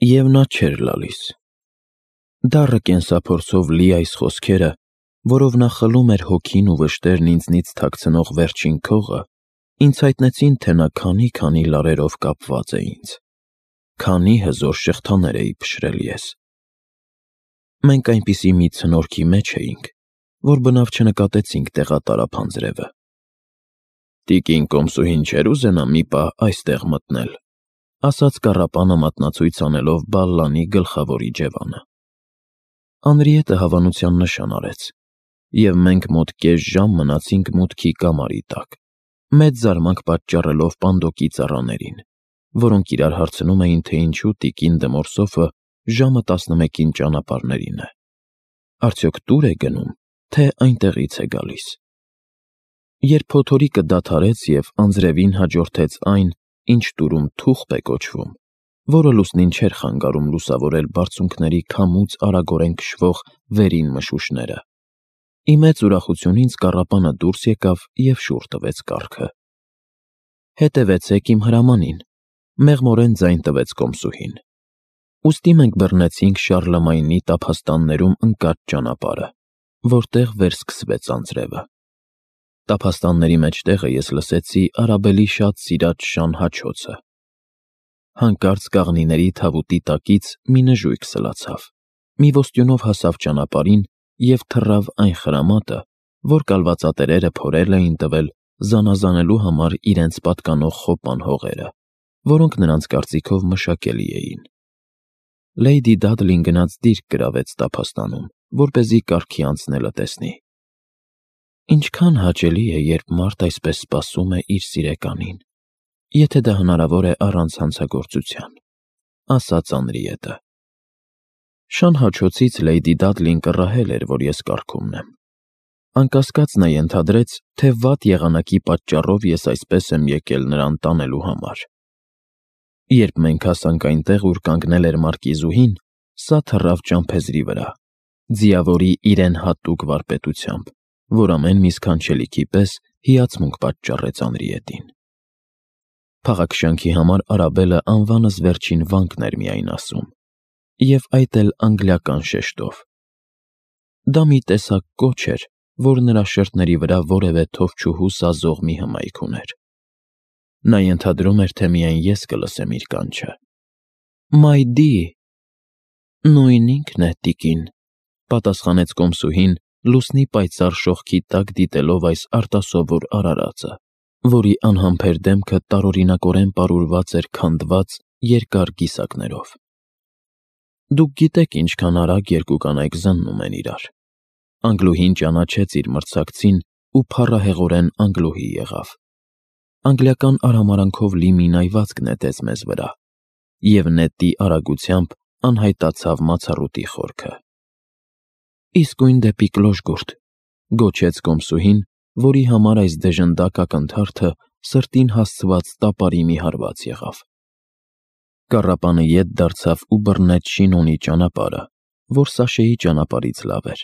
Եվ նա չէր լալիս։ Դառը կենսափորձով լի այս խոսքերը, որով նա խլում էր հոգին ու վշտերն ինձնից թաքցնող վերջին քողը, ինձ հայտնեցին, թե նա քանի լարերով կապված է ինձ, քանի հզոր շղթաներ էի փշրել ես։ Մենք այնպիսի մի ցնորքի մեջ էինք, որ բնավ չնկատեցինք տեղատարափ անձրևը։ «Տիկին կոմսուհին չէր ուզենա մի պահ այստեղ մտնել», ասաց կառապանը մատնացույց անելով բալլանի գլխավոր իջևանը։ Անրիետը հավանության նշան արեց, և մենք մոտ կես ժամ մնացինք մուտքի կամարի տակ, մեծ զարմանք պատճառելով պանդոկի ծառաներին, որոնք իրար հարցնում էին, թե ինչու տիկին Դմորսոֆը ժամը 11-ին ճանապարհներին է, արդյոք տուր է գնում, թե այնտեղից է գալիս։ Երբ փոթորիկը դադարեց և անձրևին հաջորդեց այն, ինչ տուրում թուղթ է կոչվում, որը լուսնին չէր խանգարում լուսավորել բարձունքների քամուց արագորեն քշվող վերին մշուշները, ի մեծ ուրախություն ինձ կառապանը դուրս եկավ և շուռ տվեց կառքը։ «Հետևեցեք իմ հրամանին», մեղմորեն ձայն տվեց կոմսուհին։ Ուստի մենք բռնեցինք Շարլեմայնի տափաստաններում ընկած ճանապարհը, որտեղ վերսկսվեց անձրևը։ Տափաստանների մեջտեղը ես լսեցի Արաբելի շատ սիրած շան հաչոցը։ Հանկարծ կաղնիների թավուտի տակից մի նժույգ սլացավ, մի ոստյունով հասավ ճանապարհին և թռավ այն խրամատը, որ կալվածատերերը փորել էին տվել զանազանելու համար իրենց պատկանող խոպան հողերը, որոնք նրանց կարծիքով մշակելի էին։ Լեյդի Դադլին գնաց դիրք գրավեց տափաստանում, որպեսզի կարգի անցնելը տեսնի։ Ինչքան հաճելի է, երբ մարդ այսպես սպասում է իր սիրեկանին, եթե դա հնարավոր է առանց հանցագործության, ասաց Անրիետը։ Շան հաչոցից Լեյդի Դադլին կռահել էր, որ ես կառքում եմ։ Անկասկած նա ենթադրեց, թե վատ եղանակի պատճառով ես այսպես եմ եկել նրան տանելու համար։ Երբ մենք հասանք այնտեղ, ուր կանգնել էր մարկիզուհին, սա թռավ ճամփեզրի վրա, ձիավորի իրեն հատուկ վարպետությամբ, որ ամեն մի սքանչելիքի պես հիացմունք պատճառեց Անրիետին։ Փաղաքշանքի համար Արաբելը անվանս վերջին վանկն էր միայն ասում, և այդ էլ անգլիական շեշտով։ Դա մի տեսակ կոչ էր, որ նրա շրթների վրա որևէ թովչուհու սազող մի հմայք ուներ։ Նա ենթադրում էր, թե միայն ես կլսեմ իր կանչը։ «My dear»։ Նույն ինքն է, տիկին, պատասխանեց կոմսուհին, լուսնի պայծառ շողքի տակ դիտելով այս արտասովոր արարածը, որի անհամբեր դեմքը տարօրինակորեն պարուրված էր քանդված երկար կիսակներով։ Դուք գիտեք ինչքան արագ երկու կանայք զննում են իրար։ Անգլուհին ճանաչեց իր մրցակցին ու փառահեղորեն անգլուհի եղավ։ Անգլիական արհամարանքով լի մի նայվածք նետեց մեզ վրա, և նետի արագությամբ անհայտացավ մացառուտի խորքը։ «Իսկույն դեպի Կլոժգուրդ», գոչեց կոմսուհին, որի համար այս դեժնդակ ակնթարթը սրտին հասցված տապարի մի հարված եղավ։ Կառապանը ետ դարձավ ու բռնեց Շինոնի ճանապարհը, որ Սաշեի ճանապարհից լավ էր։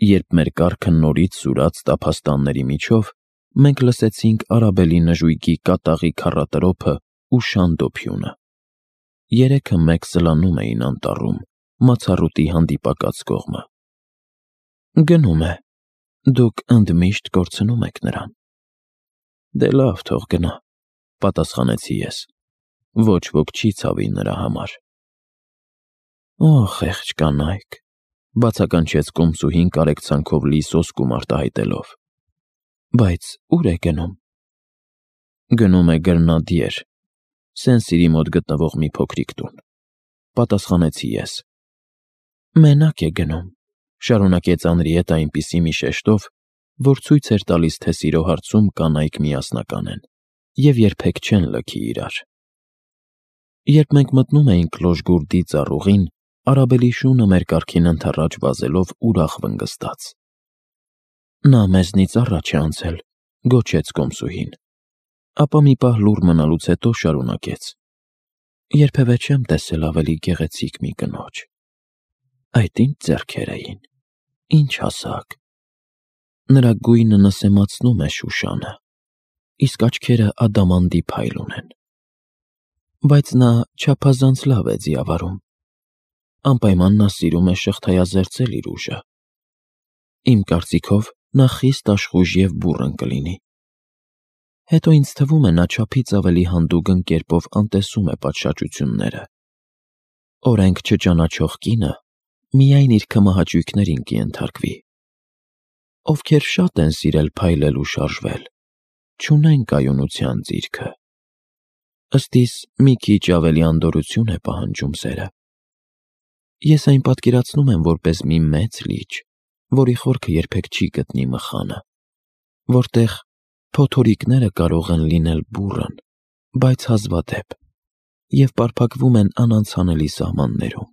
Երբ մեր կառքը նորից սուրաց տափաստանների միջով, մենք լսեցինք Արաբելի նժույգի կատաղի քառատրոփը ու շան դոփյունը։ Երեքը մեկ սլանում էին անտառում, մացառուտի հանդիպակաց կողմը։ Գնում է, դուք ընդմիշտ կորցնում եք նրան։ Դե լավ, թող գնա, պատասխանեցի ես։ Ոչ ոք չի ցավի նրա համար։ Օ, խեղճ կանայք, բացականչեց կոմսուհին կարեկցանքով լի սոսկում արտահայտելով։ Բայց ո՞ւր է գնում։ Գնում է Գրնադիեր, Սեն-Սիրի մոտ գտնվող մի փոքրիկ տուն, պատասխանեցի ես։ Մենակ է գնում, շարունակեց Անրիետը այնպիսի մի շեշտով, որ ցույց էր տալիս, թե սիրո հարցում կանայք միասնական են և երբեք չեն լքի իրար։ Երբ մենք մտնում էինք Կլոժգուրդի ծառուղին, Արաբելի շունը մեր կառքին ընդառաջ վազելով ուրախ վնգստաց։ Նա մեզնից առաջ է անցել, գոչեց կոմսուհին, ապա մի պահ լուռ մնալուց հետո շարունակեց. Երբևէ չեմ տեսել ավելի գեղեցիկ մի կնոջ։ Այդ ինչ ձեռքեր էին, ինչ հասակ։ Նրա գույնը նսեմացնում է Շուշանը, իսկ աչքերը ադամանդի փայլ ունեն։ Բայց նա չափազանց լավ է ձիավարում։ Անպայման նա սիրում է շղթայազերծել իր ուժը։ Իմ կարծիքով նա խիստ աշխույժ և բուռն կլինի։ Հետո ինձ թվում է նա չափից ավելի հանդուգն կերպով անտեսում է պատշաճությունները։ Օրենք չճանաչող կինը միայն իր քմահաճույքներին կենթարկվի։ Ովքեր շատ են սիրել փայլել ու շարժվել, չունեն կայունության ձիրքը։ Ըստ իս մի քիչ ավելի անդորրություն է պահանջում սերը։ Ես այն պատկերացնում եմ որպես մի մեծ լիճ, որի խորքը երբեք չի գտնի մխանը, որտեղ փոթորիկները կարող են լինել բուռն, բայց հազվադեպ, և պարփակվում են անանցանելի սահմաններում,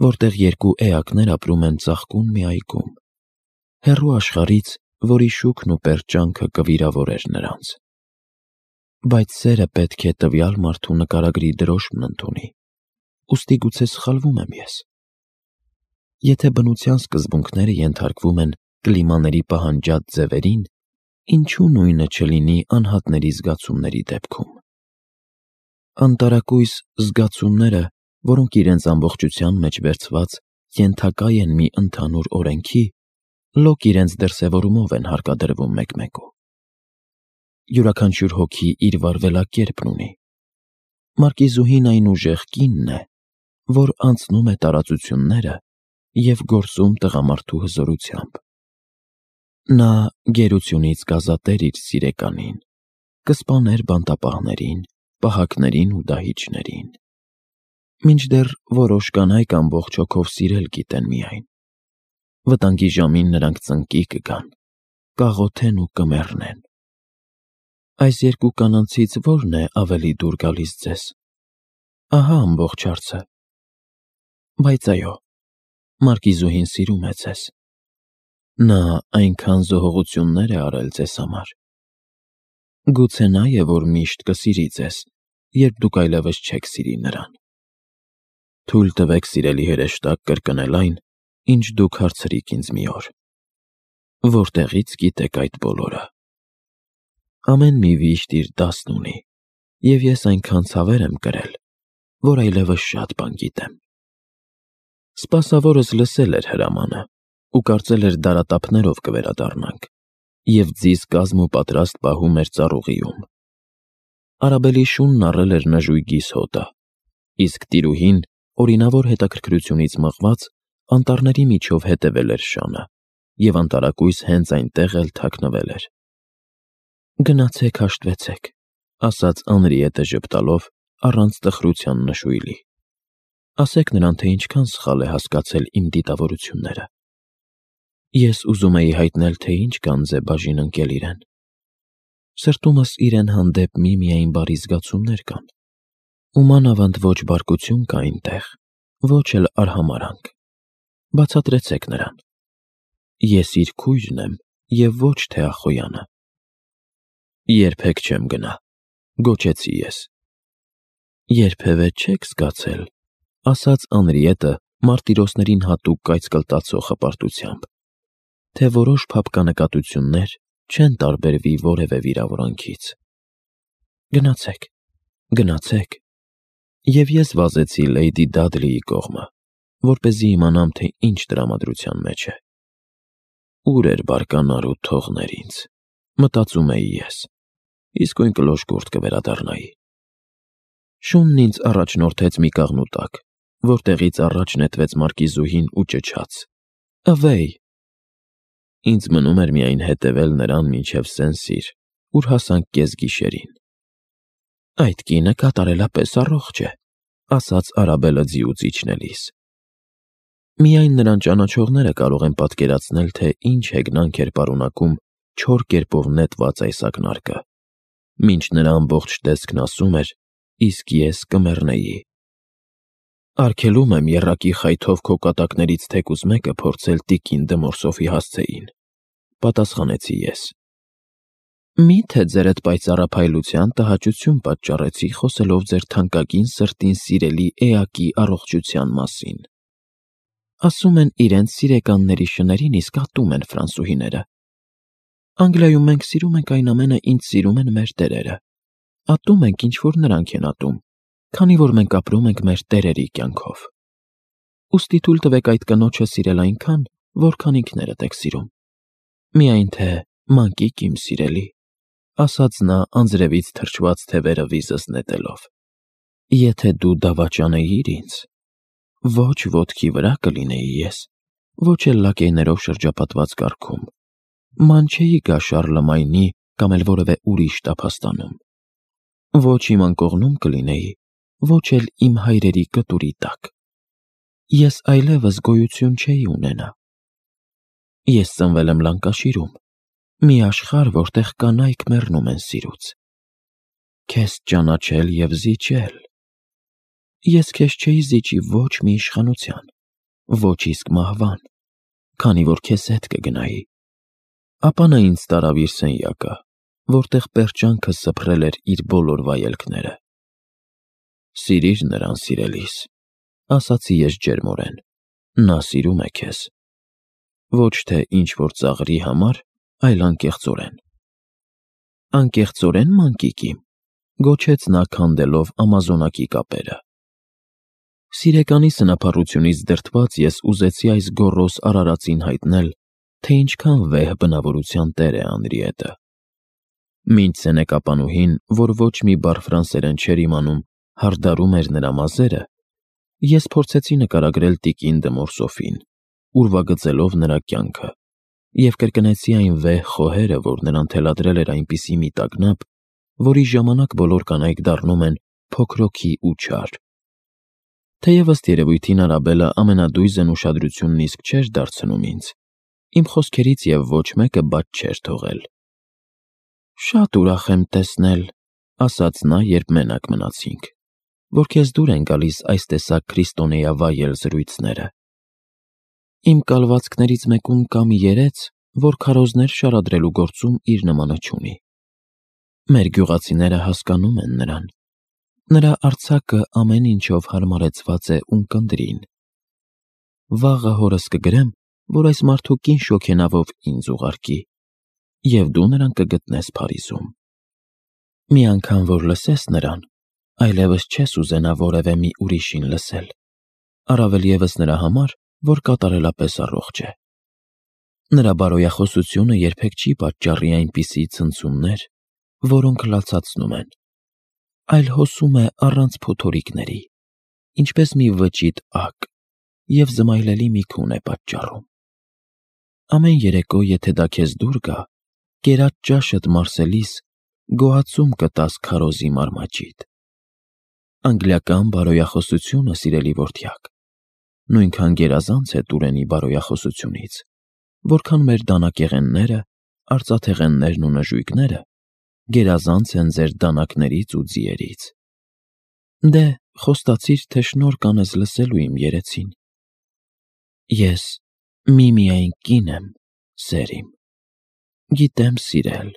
որտեղ երկու էակներ ապրում են ծաղկուն մի այգում, հեռու աշխարհից, որի շուքն ու պերճանքը կվիրավորեր նրանց։ Բայց սերը պետք է տվյալ մարդու նկարագրի դրոշմն ընդունի, ուստի գուցե սխալվում եմ ես։ Եթե բնության սկզբունքները ենթարկվում են կլիմաների պահանջած ձևերին, ինչու նույնը չլինի անհատների զգացումների դեպքում։ Անտարակույս զգացումները, որոնք իրենց ամբողջության մեջ վերցված ենթակա են մի ընդհանուր օրենքի, լոկ իրենց դրսևորումով են հարկադրվում մեկ-մեկու։ Յուրաքանչյուր հոգի իր վարվելակերպն ունի։ Մարկիզուհին այն ուժեղ կինն է, որ անցնում է տարածությունները և գործում տղամարդու հզորությամբ։ Նա գերությունից կազատեր իր սիրեկանին, կսպաներ բանտապահներին, պահակներին ու դահիճներին։ Մինչդեռ որոշ կանայք ամբողջ հոգով սիրել գիտեն միայն։ Վտանգի ժամին նրանք ծնկի կգան, կաղոթեն ու կմեռնեն։ Այս երկու կանանցից ո՞րն է ավելի դուր գալիս ձեզ։ Ահա ամբողջ հարցը։ Բայց այո, Մարկիզուհին սիրում է ձեզ։ Նա այնքան զոհողություններ է արել ձեզ համար։ Գուցե նա է, որ միշտ կսիրի ձեզ, երբ դուք այլևս չեք սիրի նրան։ Թույլ տվեք, սիրելի հրեշտակ, կրկնել այն, ինչ դուք հարցրիք ինձ մի օր. որտեղից գիտեք այդ բոլորը։ Ամեն մի վիշտ իր դասն ունի, և ես այնքան ցավեր եմ կրել, որ այլևս շատ բան գիտեմ։ Սպասավորս լսել էր հրամանը ու կարծել էր դարատափներով կվերադառնանք, և ձիզ կազմ ու պատրաստ պահում էր ծառուղիում։ Արաբելի շունն առել էր նժույգիս հոտը, իսկ տիրուհին, օրինավոր հետաքրքրությունից մղված, անտառների միջով հետևել էր շանը և անտարակույս հենց այնտեղ էլ թաքնվել էր։ Գնացեք հաշտվեցեք, ասաց Անրիետը ժպտալով, առանց տխրության նշույլի։ Ասեք նրան, թե ինչքան սխալ է հասկացել իմ դիտավորությունները։ Ես ուզում էի հայտնել, թե ինչ գանձ է բաժին ընկել իրեն։ Սրտումս իրեն հանդեպ միմիայն բարի զգացումներ կան, ու մանավանդ ոչ բարկություն կա այնտեղ, ոչ էլ արհամարհանք։ Բացատրեցեք նրան։ Ես իր քույրն եմ և ոչ թե Ախոյանը։ Երբեք չեմ գնա, գոչեցի ես։ Երբևէ չեք զգացել, ասաց Անրիետը մարտիրոսներին հատուկ կայծկլտացող հպարտությամբ, թե որոշ փափկանկատություններ չեն տարբերվի որևէ վիրավորանքից։ Գնացեք, գնացեք։ Եվ ես վազեցի Լեյդի Դադլիի կողմը, որպեսզի իմանամ, թե ինչ տրամադրության մեջ է։ Ուր էր բարկանար ու թողներ ինձ, մտածում էի ես, իսկույն կլոշկուրտ կվերադառնայի։ Շունն ինձ առաջնորդեց մի կաղնու տակ, որտեղից առաջ նետվեց Մարկիզուհին ու ճչաց. «Ավեյ»։ Ինձ մնում էր միայն հետևել նրան մինչև Սեն-Սիր, ուր հասանք կեսգիշերին։ Այդ կինը կատարելապես առողջ է, ասաց Արաբելը ձիուց իջնելիս։ Միայն նրան ճանաչողները կարող են պատկերացնել, թե ինչ հեգնանք էր պարունակում չոր կերպով նետված այս ակնարկը, մինչ նրա ամբողջ տեսքն ասում էր, իսկ ես կմեռնեի։ Արգելում եմ եռակի խայթով քո կատակներից թեկուզ մեկը փորձել տիկին Դմորսոֆի հասցեին, պատասխանեցի ես։ Մի՞թե ձեր այդ պայծառափայլության տհաճություն պատճառեցի խոսելով ձեր թանկագին սրտին սիրելի էակի առողջության մասին։ Ասում են իրենց սիրեկանների շներին իսկ ատում են ֆրանսուհիները։ Անգլիայում մենք սիրում ենք այն ամենը, ինչ սիրում են մեր տերերը։ Ատում ենք, ինչ որ նրանք են ատում, քանի որ մենք ապրում ենք մեր տերերի կյանքով։ Ուստի թույլ տվեք այդ կնոջը սիրել այնքան, որքան ինքներդ եք սիրում։ Միայն թե մանկիկ իմ սիրելի, ասաց նա անձրևից թրջված թևերը վիզս նետելով։ Եթե դու դավաճանեիր ինձ, ոչ ոտքի վրա կլինեի ես, ոչ էլ լակեյներով շրջապատված կառքում, ման չէի գա Շարլեմայնի կամ էլ որևէ ուրիշ տափաստանում, ոչ իմ անկողնում կլինեի, ոչ էլ իմ հայրերի կտուրի տակ։ Ես այլևս գոյություն չէի ունենա։ Ես ծնվել եմ Լանկաշիրում, մի աշխարհ, որտեղ կանայք մեռնում են սիրուց։ Քեզ ճանաչել և զիջել։ Ես քեզ չէի զիջի ոչ մի իշխանության, ոչ իսկ մահվան, քանի որ քեզ հետ կգնայի։ Ապա նա ինձ տարավ իր սենյակը, որտեղ պերճանքը սփռել էր իր բոլոր վայելքները։ Սիրիր նրան, սիրելիս, ասացի ես ջերմորեն, նա սիրում է քեզ։ Ոչ թե ինչ-որ ծաղրի համար, այլ անկեղծորեն։ Անկեղծորեն, մանկիկ իմ, գոչեց նա քանդելով ամազոնակի կապերը։ Սիրեկանի սնափառությունից դրդված ես ուզեցի այս գոռոզ արարածին հայտնել, թե ինչքան վեհ բնավորության տեր է Անրիետը։ Մինչ սենեկապանուհին, որ ոչ մի բառ ֆրանսերեն չէր իմանում, հարդարում էր նրա մազերը, ես փորձեցի նկարագրել տիկին դը Մորսոֆին, ուրվագծելով նրա կյանքը, և կրկնեցի այն վեհ խոհերը, որ նրան թելադրել էր այնպիսի մի տագնապ, որի ժամանակ բոլոր կանայք դառնում են փոքրոքի ու չար։ Թեև ըստ երևույթին Արաբելը ամենադույզն ուշադրությունն իսկ չէր դարձնում ինձ, իմ խոսքերից և ոչ մեկը բաց չէր թողել։ Շատ ուրախ եմ տեսնել, ասաց նա, երբ մենակ մնացինք, որ քեզ դուր են գալիս այս տեսակ քրիստոնեավայել զրույցները։ Իմ կալվածքներից մեկում կա մի երեց, որ քարոզներ շարադրելու գործում իր նմանը չունի։ Մեր գյուղացիները հասկանում են նրան։ Նրա արձակը ամեն ինչով հարմարեցված է ունկնդրին։ Վաղը հորս կգրեմ, որ այս մարդու կին շոգենավով ինձ ուղարկի, և դու նրան կգտնես Փարիզում։ Մի անգամ որ լսես նրան, այլևս չես ուզենա որևէ մի ուրիշին լսել, առավել ևս նրա համար, որ կատարելապես առողջ է։ Նրա բարոյախոսությունը երբեք չի պատճառի այնպիսի ցնցումներ, որոնք լացացնում են, այլ հոսում է առանց փոթորիկների, ինչպես մի վճիտ ակ, և զմայլելի մի քուն է պատճառում։ Ամեն երեկո, եթե դա քեզ դուր գա, կերած ճաշդ մարսելիս գոհացում կտաս քարոզի մարմաճիդ։ Անգլիական բարոյախոսությունը, սիրելի որդյակ, նույնքան գերազանց է Տուրենի բարոյախոսությունից, որքան մեր դանակեղենները, արծաթեղեններն ու նժույգները գերազանց են ձեր դանակներից ու ձիերից։ Դե, խոստացիր, թե շնորհ կանես լսելու իմ երեցին։ Ես միմիայն կին եմ, սեր իմ։ Գիտեմ սիրել,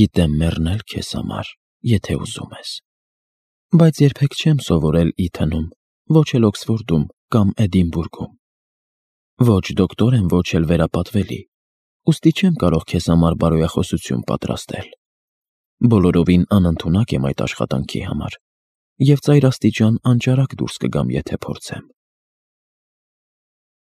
գիտեմ մեռնել քեզ համար, եթե ուզում ես։ Բայց երբեք չեմ սովորել Իթնում, ոչ էլ Օքսֆորդում կամ Էդինբուրգում։ Ոչ դոկտոր եմ, ոչ էլ վերապատվելի, ուստի չեմ կարող քեզ համար բարոյախոսություն պատրաստել։ Բոլորովին անընդունակ եմ այդ աշխատանքի համար, և ծայրաստիճան անճարակ դուրս կգամ, եթե փորձեմ։